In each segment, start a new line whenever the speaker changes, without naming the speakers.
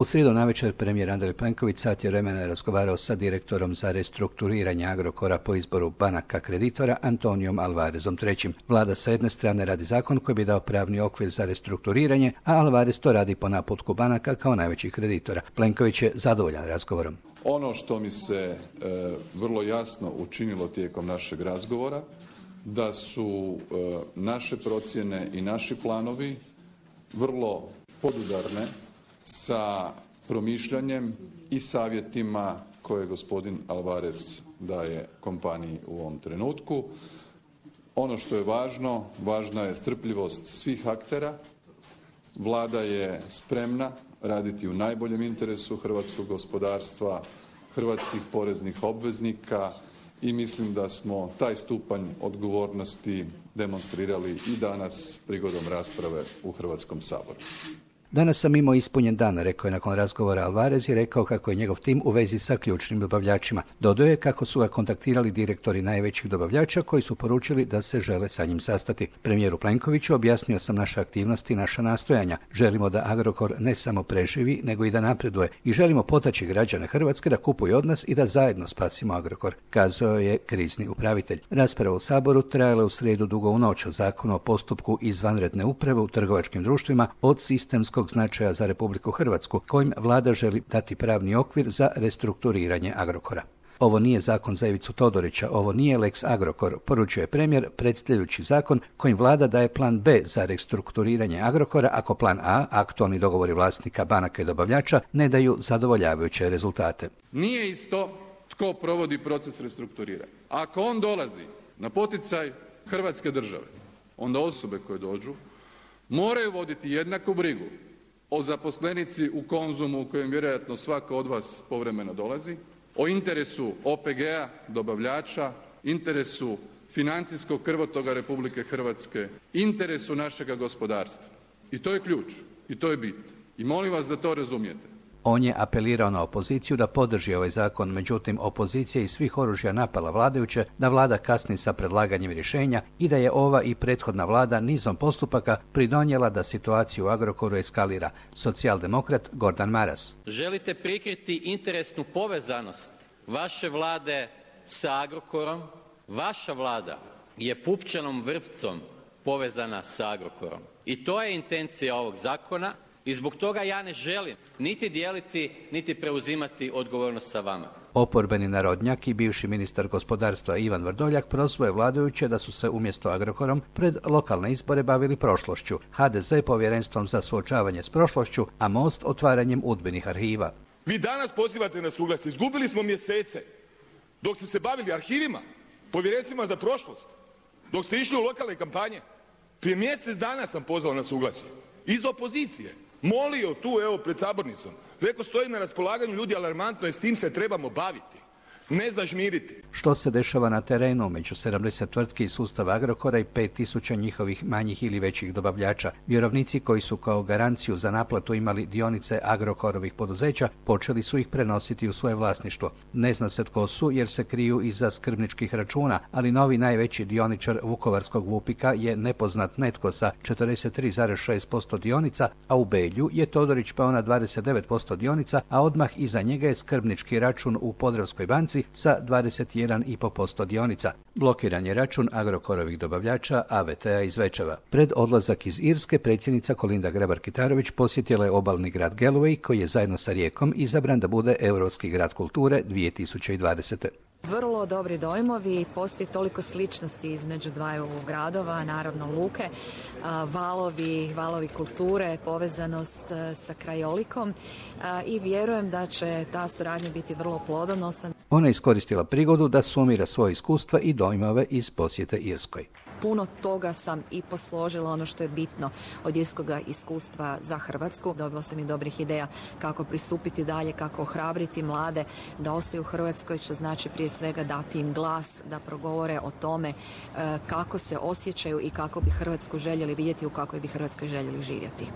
U srijedu navečer premijer Andrej Plenković sat je vremena razgovarao sa direktorom za restrukturiranje Agrokora po izboru banaka kreditora Antonijom Alvarezom III. Vlada sa jedne strane radi zakon koji bi dao pravni okvir za restrukturiranje, a Alvarez to radi po naputku banaka kao najvećih kreditora. Plenković je zadovoljan razgovorom.
Ono što mi se vrlo jasno učinilo tijekom našeg razgovora, da su naše procjene i naši planovi vrlo podudarne sa promišljanjem i savjetima koje gospodin Alvarez daje kompaniji u ovom trenutku. Ono što je važno, važna je strpljivost svih aktera. Vlada je spremna raditi u najboljem interesu hrvatskog gospodarstva, hrvatskih poreznih obveznika i mislim da smo taj stupanj odgovornosti demonstrirali i danas prigodom rasprave u Hrvatskom saboru.
Danas sam imao ispunjen dan, rekao je nakon razgovora Alvarez i rekao kako je njegov tim u vezi sa ključnim dobavljačima. Dodao je kako su ga kontaktirali direktori najvećih dobavljača koji su poručili da se žele sa njim sastati. Premijeru Plenkoviću objasnio sam naše aktivnosti i naša nastojanja. Želimo da Agrokor ne samo preživi, nego i da napreduje i želimo potaći građane Hrvatske da kupuju od nas i da zajedno spasimo Agrokor, kazao je krizni upravitelj. Rasprava u Saboru trajala u srijedu dugo u noć o zakonu o postupku izvanredne uprave u trgovačkim društvima od sistemskog značaja za Republiku Hrvatsku, kojim vlada želi dati pravni okvir za restrukturiranje Agrokora. Ovo nije zakon za Ivicu Todorića, ovo nije Lex Agrokor, poručuje premijer predstavljajući zakon kojim vlada daje plan B za restrukturiranje Agrokora ako plan A, aktualni dogovori vlasnika banaka i dobavljača, ne daju zadovoljavajuće rezultate.
Nije isto tko provodi proces restrukturiranja. Ako on dolazi na poticaj Hrvatske države, onda osobe koje dođu moraju voditi jednaku brigu o zaposlenici u Konzumu u kojem vjerojatno svako od vas povremeno dolazi, o interesu OPG-a, dobavljača, interesu financijskog krvotoka Republike Hrvatske, interesu našega gospodarstva. I to je ključ, i to je bit. I molim vas da to razumijete.
On je apelirao na opoziciju da podrži ovaj zakon, međutim opozicija iz svih oružja napala vladajuće, da vlada kasni sa predlaganjem rješenja i da je ova i prethodna vlada nizom postupaka pridonijela da situaciju u Agrokoru eskalira. Socijaldemokrat Gordan Maras.
Želite prikriti interesnu povezanost vaše vlade sa Agrokorom. Vaša vlada je pupčanom vrpcom povezana sa Agrokorom. I to je intencija ovog zakona. I zbog toga ja ne želim niti dijeliti, niti preuzimati odgovornost sa vama.
Oporbeni narodnjak i bivši ministar gospodarstva Ivan Vrdoljak prozvao je vladajuće da su se umjesto Agrokorom pred lokalne izbore bavili prošlošću, HDZ povjerenstvom za suočavanje s prošlošću, a Most otvaranjem udbenih arhiva.
Vi danas pozivate na suglasje. Izgubili smo mjesece dok ste se bavili arhivima, povjerenstvima za prošlost, dok ste išli u lokalne kampanje. Prije mjesec dana sam pozvao na suglasje iz opozicije. Molio tu, evo, pred sabornicom. Rekao, stoji na raspolaganju, ljudi, alarmantno je, s tim se trebamo baviti. Ne zažmiriti.
Što se dešava na terenu među 70 tvrtki iz sustava Agrokora i 5000 njihovih manjih ili većih dobavljača? Vjerovnici koji su kao garanciju za naplatu imali dionice Agrokorovih poduzeća počeli su ih prenositi u svoje vlasništvo. Ne zna se tko su jer se kriju iza skrbničkih računa, ali novi najveći dioničar vukovarskog Vupika je nepoznat netko sa 43,6% dionica, a u Belju je Todorić pao na 29% dionica, a odmah iza njega je skrbnički račun u Podravskoj banci sa 21,5% dionica. Blokiran je račun Agrokorovih dobavljača AVT-a iz Zvečeva. Pred odlazak iz Irske predsjednica Kolinda Grabar-Kitarović posjetila je obalni grad Galway koji je zajedno sa Rijekom izabran da bude Europski grad kulture 2020.
Vrlo dobri dojmovi, postoji toliko sličnosti između dvaju gradova, naravno luke, valovi kulture, povezanost sa krajolikom i vjerujem da će ta suradnja biti vrlo plodonosna.
Ona je iskoristila prigodu da sumira svoje iskustva i dojmove iz posjete Irskoj.
Puno toga sam i posložila ono što je bitno od irskog iskustva za Hrvatsku. Dobila sam i dobrih ideja kako pristupiti dalje, kako ohrabriti mlade da ostaju u Hrvatskoj, što znači prije svega dati im glas, da progovore o tome kako se osjećaju i kako bi Hrvatsku željeli vidjeti, u kakvoj bi Hrvatskoj željeli živjeti.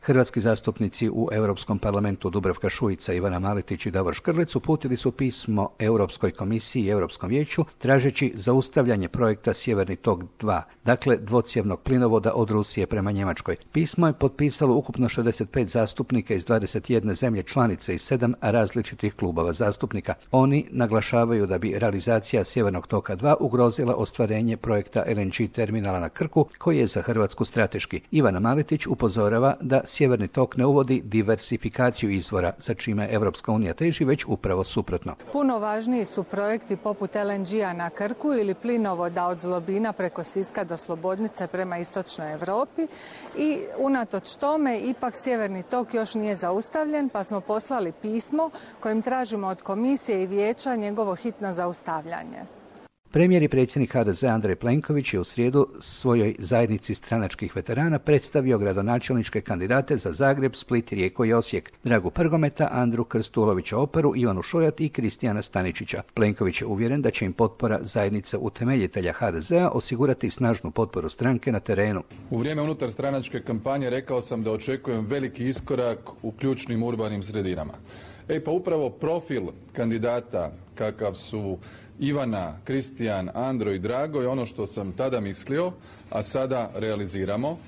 Hrvatski zastupnici u Europskom parlamentu Dubravka Šuica, Ivana Maletić i Davor Škrlec uputili su pismo Europskoj komisiji i Europskom vijeću tražeći zaustavljanje projekta Sjeverni tok 2, dakle dvocjevnog plinovoda od Rusije prema Njemačkoj. Pismo je potpisalo ukupno 65 zastupnika iz 21 zemlje članice i 7 različitih klubova zastupnika. Oni naglašavaju da bi realizacija Sjevernog toka 2 ugrozila ostvarenje projekta LNG terminala na Krku, koji je za Hrvatsku strateški. Ivana Maletić upozorava da Sjeverni tok ne uvodi diversifikaciju izvora, za čime Evropska unija teži, već upravo suprotno.
Puno važniji su projekti poput LNG-a na Krku ili plinovoda od Zlobina preko Siska do Slobodnice prema istočnoj Europi i unatoč tome ipak Sjeverni tok još nije zaustavljen, pa smo poslali pismo kojim tražimo od komisije i vijeća njegovo hitno zaustavljanje.
Premijer i predsjednik HDZ Andrej Plenković je u srijedu svojoj zajednici stranačkih veterana predstavio gradonačelničke kandidate za Zagreb, Split, Rijeku i Osijek, Dragu Prgometa, Andru Krstulovića Operu, Ivanu Šojat i Kristijana Staničića. Plenković je uvjeren da će im potpora zajednice utemeljitelja HDZ-a osigurati snažnu potporu stranke na terenu.
U vrijeme unutarstranačke kampanje rekao sam da očekujem veliki iskorak u ključnim urbanim sredinama. Pa upravo profil kandidata kakav su Ivana, Kristijan, Andro i Drago je ono što sam tada mislio, a sada realiziramo.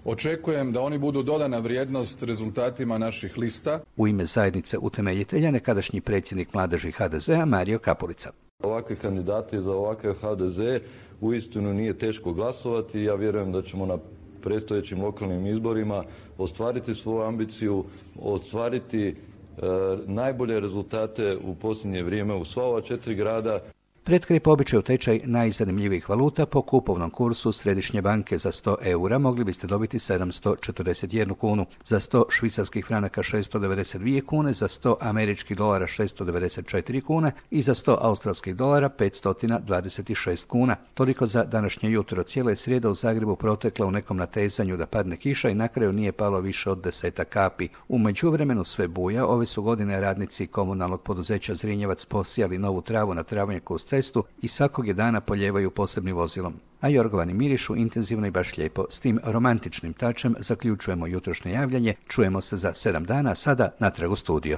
Očekujem da oni budu dodana vrijednost rezultatima naših lista.
U ime zajednice utemeljitelja nekadašnji predsjednik mladeži HDZ-a Mario Kapulica.
Ovakvi kandidati za ovakav HDZ uistinu nije teško glasovati. Ja vjerujem da ćemo na predstojećim lokalnim izborima ostvariti svoju ambiciju, ostvariti najbolje rezultate u posljednje vrijeme u sva ova 4 grada.
Pred kraj po običaju tečaj najzanimljivijih valuta po kupovnom kursu Središnje banke za 100 eura mogli biste dobiti 741 kunu, za 100 švicarskih franaka 692 kune, za 100 američkih dolara 694 kune i za 100 australskih dolara 526 kuna. Toliko za današnje jutro. Cijela je srijeda u Zagrebu protekla u nekom natezanju da padne kiša i na kraju nije palo više od 10 kapi. U međuvremenu sve buja. Ove su godine radnici komunalnog poduzeća Zrinjevac posijali novu travu na travnjaku uz cestu i svakog je dana polijevaju posebnim vozilom. A jorgovani mirišu intenzivno i baš lijepo. S tim romantičnim tačem zaključujemo jutrošnje javljanje. Čujemo se za 7 dana, sada natrag u studio.